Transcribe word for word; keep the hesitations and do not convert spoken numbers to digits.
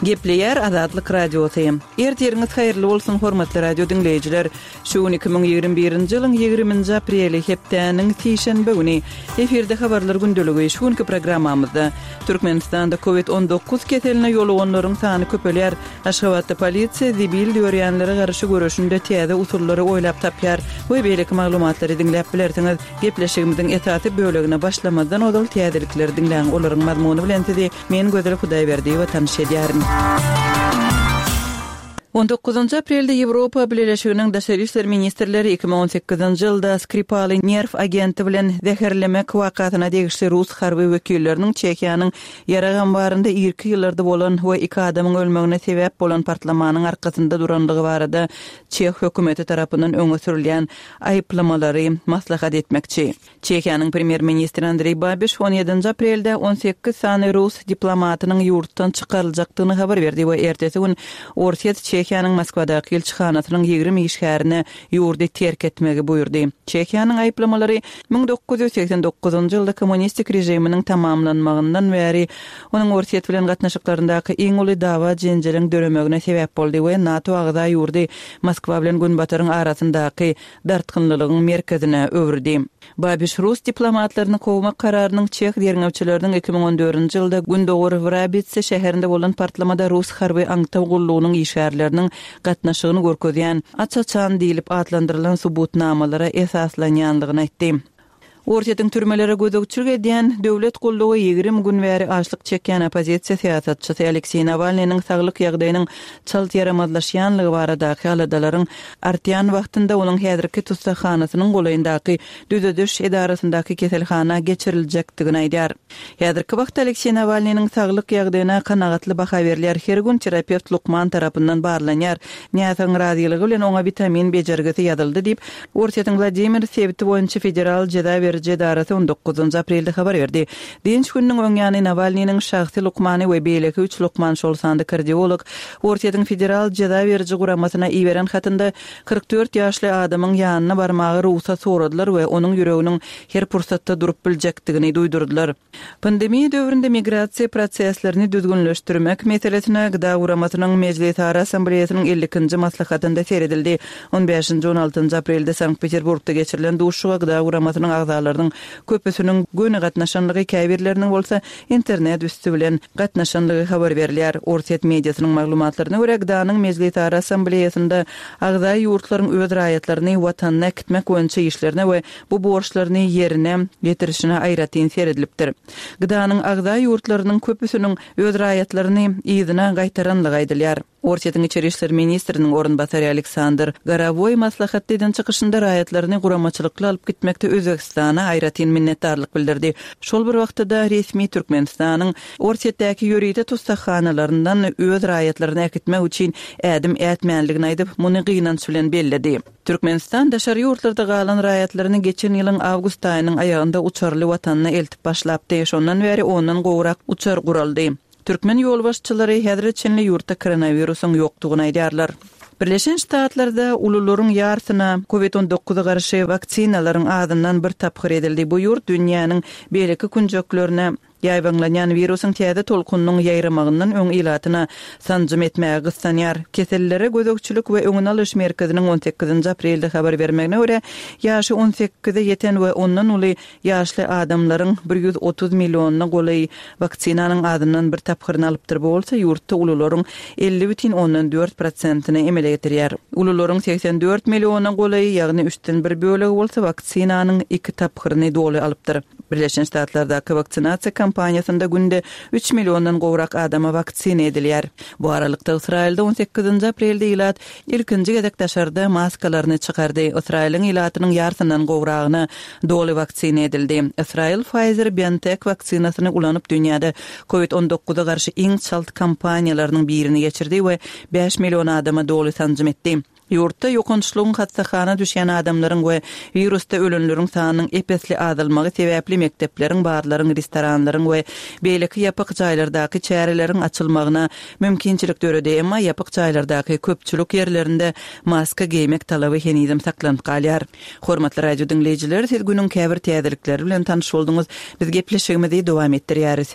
Gepleýär Azatlyk Radiosy. Ertiriňiz haýyrly bolsun, hormatly radio diňleýjiler. Şu gün iki müň ýigrimi birinji ýylyň ýigriminji apreli, hepdäniň sişenbe güni. Efirde habarlar gündeligi. Şu günki programmamyzda Türkmenistanda Covid on dokuz keseline ýoluganlaryň sany köpelýär. Aşgabatda polisiýa zibil dörýänlere garşy göreşinde täze usullary oýlap tapýar we beýleki maglumatlary diňläp bilersiňiz. Gepleşigimiziň esasy bölegine başlamazdan ozal täzelikleri diňläň, olaryň mazmuny bilen sizi men Gözel Hudaýberdiýewa tanyş edýärin. On dokuzynjy aprelde Ýewropa Bileleşiginiň daşary işler ministrleri iki müň on sekizinji ýylda Skripaly nerw agenti bilen zäherlemek wakasyna degişli rus harby wekilleriniň Çehiýanyň ýarag ambarynda irki ýyllarda bolan we iki adamyň ölmegine sebäp bolan partlamanyň arkasynda durandygy barada çeh hökümeti tarapyndan öňe sürülýän aýyplamalary maslahat etmekçi. Çehiýanyň premýer-ministri Andreý Babiş on ýedinji aprelde on sekiz sany rus diplomatynyň ýurtdan çykaryljakdygyny habar berdi we ertesi gün Orsýet Çehiýanyň Moskwadaky ilçihanasynyň ýigrimi işgärine ýurdy terk etmegi buýurdy. Çehiýanyň aýyplamalary müň dokuz ýüz segsen dokuzynjy ýylda kommunistik režiminiň tamamlanmagyndan bäri onuň Orsýet bilen gatnaşyklaryndaky iň uly dawa-jenjeliň döremegine sebäp boldy we NATO agza ýurdy Moskwa bilen Günbataryň arasyndaky dartgynlylygyň merkezine öwürdi. Babiş rus diplomatlaryny kowmak kararynyň çeh derňewçileriniň iki müň on dördünji ýylda Gündogar Wrabitse şäherinde bolan partlamada rus harby aňtaw gullugynyň işgärleriniň gatnaşygyny görkezýän aç-açan diýlip atlandyrylan subutnamalara esaslanýanlygyny aýtdy. Orsýetiň türmelere gözegçilik edýän döwlet gullugy ýigrimi gün bäri açlyk çekýän oppozisiýa syýasatçysy Alekseý Nawalnynyň saglyk ýagdaýynyň çalt ýaramazlaşýanlygy baradaky aladalaryň artýan wagtynda onuň häzirki tussaghanasynyň golaýyndaky düzediş edarasyndaky keselhana geçiriljekdigini aýdýar. Häzirki wagtda Alekseý Nawalnynyň saglyk ýagdaýyna kanagatly baha berilýär, her gün terapewt lukman tarapyndan barlanýar. Näsagyň razylygy bilen oňa witamin bejergisi ýazyldy diýip, Orsýetiň Wladimir sebiti boýunça federal jeza beriji edarasy on dokuzynjy aprelde habar berdi. Dynç gününiň öň ýany Nawalnynyň şahsy lukmany we beýleki üç lukman, şol sanda kardiolog, Orsýetiň federal jeza beriji guramasyna iberen hatynda kyrk dört ýaşly adamyň ýanyna barmaga rugsat soradylar we onuň ýüreginiň her pursatda durup biljekdigini duýdurdylar. Pandemiýa döwründe migrasiýa proseslerini düzgünleşdirmek meselesine Gda guramasynyň Mejlisara Assambleýasynyň elli ikinji maslahatynda seredildi. On bäşinji, on altynjy aprelde Sankt-Peterburgda geçirilen duşuşyga Gda guramasynyň agzalarynyň köpüsiniň göni gatnaşanlygy, käbirleriniň bolsa internet üsti bilen gatnaşanlygy habar berilýär. Orsýet mediasynyň maglumatlaryna görä, Gdanyň Mejlisara Assambleýasynda agza ýurtlaryň öz raýatlaryny watanyna äkitmek boýunça işlerine we bu borçlaryny ýerine getirişine aýratyn seredilipdir. Gdanyň agza ýurtlarynyň köpüsiniň öz raýatlaryny yzyna gaýtaranlygy aýdylýar. Orsýetiň içeri işler ministriniň orunbasary Aleksandr Gorowoý maslahatda eden çykyşynda raýatlaryny guramaçylykly alyp gitmekde Özbegistana aýratyn minnetdarlyk bildirdi. Şol bir wagtda resmi Türkmenistanyň Orsýetdäki ýörite tussaghanalaryndan öz raýatlaryny äkitmek üçin ädim ätmänligini aýdyp, muny gynanç bilen belledi. Türkmenistan daşary ýurtlarda galan raýatlaryny geçen ýylyň awgust aýynyň aýagynda uçarly watanyna eltip başlapdy. Şondan bäri ondan gowrak uçar guraldy. Türkmen ýolbaşçylary häzire çenli ýurtda koronawirusyň ýokdugyny aýdýarlar. Birleşen Ştatlarda ulularyň ýarsyna Covid on dokuza garşy waksinalaryň azyndan bir tapgyr edildi. Bu ýurt dünýäniň beýleki künjeklerine ýaýbaňlanýan wirusyň täze tolkunynyň ýaýramagyndan öň ilatyna sanjym etmäge gyssanýar. Kesellere gözegçilik we öňüni alyş merkeziniň on sekizinji aprelde habar bermegine görä, ýaşy on sekize ýeten we ondan uly ýaşly adamlaryň bir ýüz otuz millionyna golaý waksinanyň azyndan bir tapgyryny alypdyr. Bu bolsa ýurtda ulularyň elli bütin ondan dört prosentini emele getirýär. Ulularyň seksen dört millionyna golaý, ýagny üçden bir bölegi bolsa waksinanyň iki tapgyryny doly alypdyr. Birleşen Ştatlardaky waksinasiýa kampaniýasynda günde üç milliondan gowrak adama waksina edilýär. Bu aralykda Ysraýylda on sekizinji aprelde ilat ilkinji gezek daşarda maskalaryny çykardy. Ysraýylyň ilatynyň ýarysyndan gowragyna doly waksina edildi. Ysraýyl Pfizer-BioNTech waksinasyny ulanyp dünýäde Covid on dokuza garşy iň çalt kampaniýalarynyň birini geçirdi we bäş million adama doly sanjym etdi. Ýurtda ýokançlygyň hassahana düşýän adamlaryň we wirusda ölenleriň sanynyň epesli azalmagy sebäpli mekdepleriň, barlaryň, restoranlaryň we beýleki ýapyk jaýlardaky çäreleriň açylmagyna mümkinçilik döredi. Emma ýapyk jaýlardaky köpçülik ýerlerinde maska geýmek talaby henizem saklanyp galýar. Hormatly radio diňleýjiler, siz günüň käbir täzelikleri bilen tanyş bolduňyz. Biz gepleşigimizi dowam etdirýäris.